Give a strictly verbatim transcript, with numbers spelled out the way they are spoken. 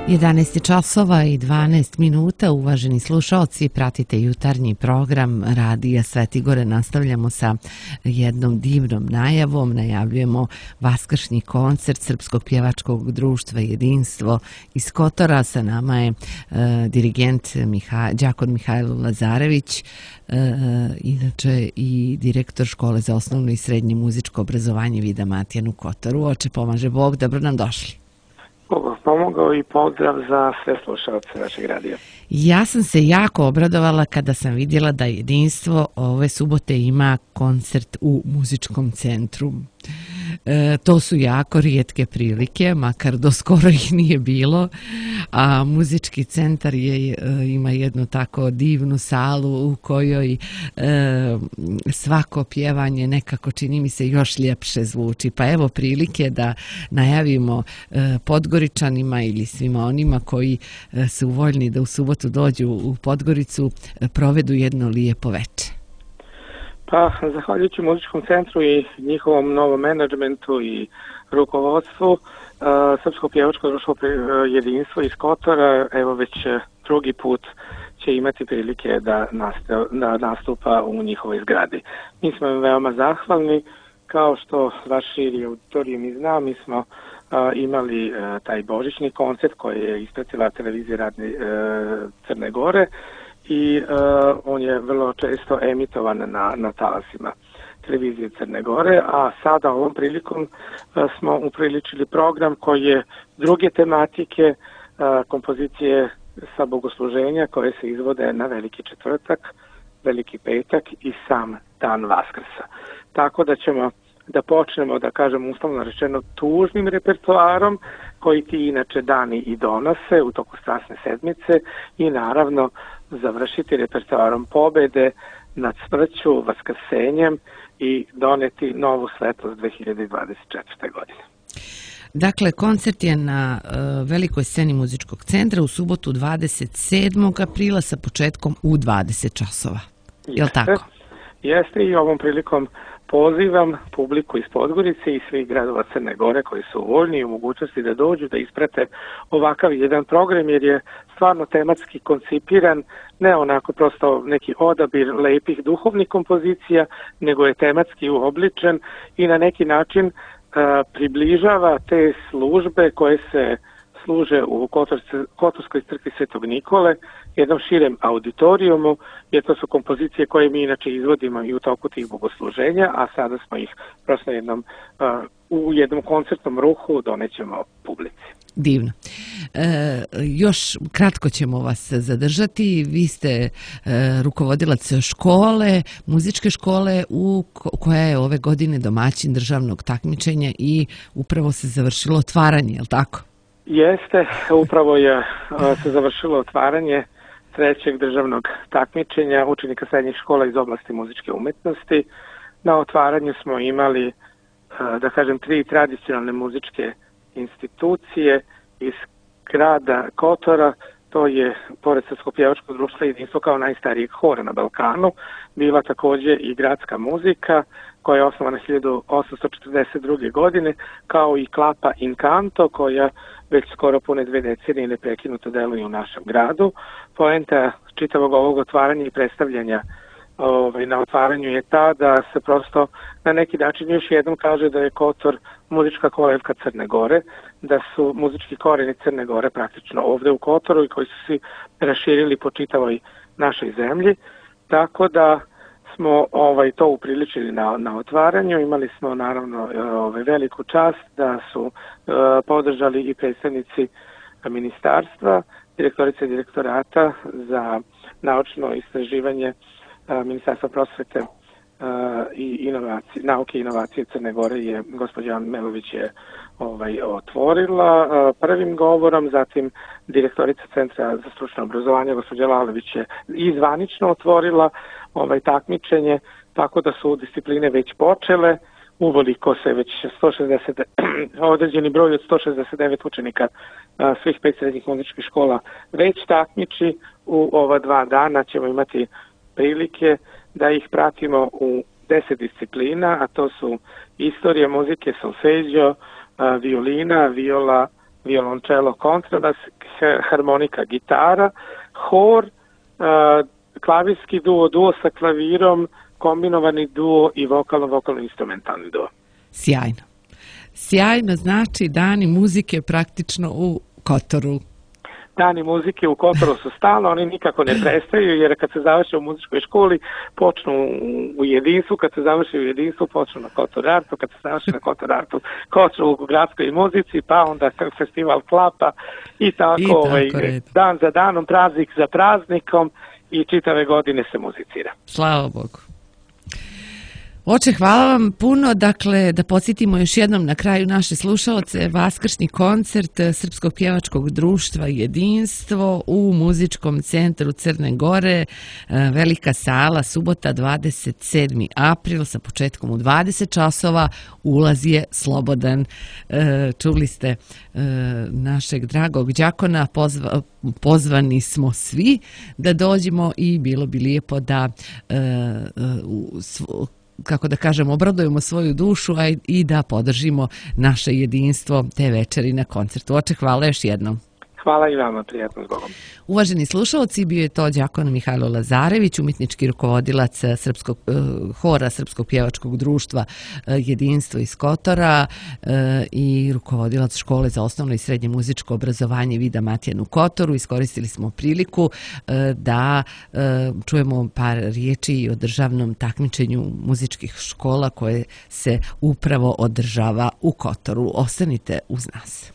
jedanaest časova i dvanaest minuta, uvaženi slušaoci, pratite jutarnji program Radija Svetigore. Nastavljamo sa jednom divnom najavom. Najavljujemo vaskršnji koncert Srpskog pjevačkog društva Jedinstvo iz Kotora. Sa nama je e, dirigent Miha, Đakon Mihajlo Lazarević, e, inače i direktor škole za osnovno i srednje muzičko obrazovanje Vida Matijan u Kotoru. Oče pomaže Bog, dobro nam došli. Bog pomogao i pozdrav za sve slušalce našeg radija. Ja sam se jako obradovala kada sam vidjela da Jedinstvo ove subote ima koncert u muzičkom centru. E, to su jako rijetke prilike, makar do skoro ih nije bilo, a muzički centar je, e, ima jednu tako divnu salu u kojoj e, svako pjevanje nekako, čini mi se, još ljepše zvuči. Pa evo prilike da najavimo e, Podgoričanima ili svima onima koji e, su voljni da u subotu dođu u Podgoricu, e, provedu jedno lijepo večer. Pa, zahvaljujući muzičkom centru i njihovom novom menadžmentu i rukovodstvu, uh, Srpsko pjevačko društvo Jedinstvo iz Kotora, evo već drugi put će imati prilike da, nastav, da nastupa u njihovoj zgradi. Mi smo im veoma zahvalni, kao što vaš širi auditorium i zna, mi smo uh, imali uh, taj božićni koncert koji je ispratila televizija Radne, uh, Crne Gore, i uh, on je vrlo često emitovan na, na talasima televizije Crne Gore, a sada ovom prilikom uh, smo upriličili program koji je druge tematike, uh, kompozicije sa bogosluženja koje se izvode na Veliki četvrtak, Veliki petak i sam dan Vaskrsa. Tako da ćemo da počnemo, da kažem uslovno rečeno, tužnim repertoarom koji ti inače dani i donose u toku Strasne sedmice i naravno završiti repertoarom pobede nad smrću, vaskrsenjem i doneti novu svetlost dve hiljade dvadeset četvrte. godine. Dakle, koncert je na uh, velikoj sceni muzičkog centra u subotu dvadeset sedmog aprila sa početkom u dvadeset časova. Je li tako? Jeste, i ovom prilikom pozivam publiku iz Podgorice i svih gradova Crne Gore koji su voljni i u mogućnosti da dođu, da isprate ovakav jedan program, jer je stvarno tematski koncipiran, ne onako prosto neki odabir lepih duhovnih kompozicija, nego je tematski uobličen i na neki način uh, približava te službe koje se služe u Kotorskoj crkvi Svetog Nikole, jednom širem auditorijumu, jer to su kompozicije koje mi inače izvodimo i u toku tih bogosluženja, a sada smo ih prosto jednom, uh, u jednom koncertnom ruhu donećemo publici. Divno. E, još kratko ćemo vas zadržati. Vi ste e, rukovodilac škole, muzičke škole u koja je ove godine domaćin državnog takmičenja i upravo se završilo otvaranje, je li tako? Jeste, upravo je se završilo otvaranje trećeg državnog takmičenja učenika srednjih škola iz oblasti muzičke umetnosti. Na otvaranju smo imali, da kažem, tri tradicionalne muzičke institucije iz grada Kotora. To je, pored Srpskog pjevačkog društva Jedinstvo kao najstarijeg hora na Balkanu, bila također i gradska muzika koja je osnovana hiljadu osamsto četrdeset druge. godine, kao i Klapa Incanto koja već skoro pune dve decenije neprekinuto deluje u našem gradu. Poenta čitavog ovog otvaranja i predstavljanja ovaj, na otvaranju je ta da se prosto na neki način još jednom kaže da je Kotor muzička kolevka Crne Gore, da su muzički koreni Crne Gore praktično ovde u Kotoru i koji su se raširili po čitavoj našoj zemlji. Tako da smo ovaj to upriličili na, na otvaranju. Imali smo naravno ovaj, veliku čast da su uh, podržali i predstavnici ministarstva, direktorice direktorata za naučno istraživanje uh, Ministarstva prosvete uh, i inovacije, nauke i inovacije Crne Gore je gospođa Ana Melović je ovaj, otvorila uh, prvim govorom, zatim direktorica Centra za stručno obrazovanje gospođa Lalović je izvanično otvorila ovaj takmičenje, tako da su discipline već počele, uvoliko se već sto šezdeset određeni broj od sto šezdeset devet učenika a, svih pet srednjih muzičkih škola već takmiči. U ova dva dana ćemo imati prilike da ih pratimo u deset disciplina, a to su istorija muzike, solfeđo, violina, viola, violončelo, kontrabas, harmonika, gitara, hor, klavirski duo, duo sa klavirom, kombinovani duo i vokalno-vokalno-instrumentalni duo. Sjajno. Sjajno, znači dani muzike praktično u Kotoru. Dani muzike u Kotoru su stalno, oni nikako ne prestaju, jer kad se završe u muzičkoj školi, počnu u jedinstvu, kad se završe u jedinstvu, počnu na Kotor Artu, kad se završe na Kotor Artu, počnu u gradskoj muzici, pa onda festival klapa i tako, I tako ovaj, dan za danom, praznik za praznikom i čitave godine se muzicira. Slava Bogu. Oče, hvala vam puno. Dakle, da podsjetimo još jednom na kraju naše slušaoce, vaskršnji koncert Srpskog pjevačkog društva Jedinstvo u muzičkom centru Crne Gore, velika sala, subota dvadeset sedmi april sa početkom u dvadeset časova, ulaz je slobodan. Čuli ste našeg dragog đakona, pozva, pozvani smo svi da dođemo i bilo bi lijepo da u kako da kažem, obradujemo svoju dušu, a i da podržimo naše jedinstvo te večeri na koncertu. Oče, hvala još jednom. Hvala i vama, prijatno s Bogom. Uvaženi slušalci, bio je to đakon Mihajlo Lazarević, umjetnički rukovodilac Srpskog, uh, hora Srpskog pjevačkog društva uh, Jedinstvo iz Kotora uh, i rukovodilac škole za osnovno i srednje muzičko obrazovanje Vida Matijan u Kotoru. Iskoristili smo priliku uh, da uh, čujemo par riječi o državnom takmičenju muzičkih škola koje se upravo održava u Kotoru. Ostanite uz nas.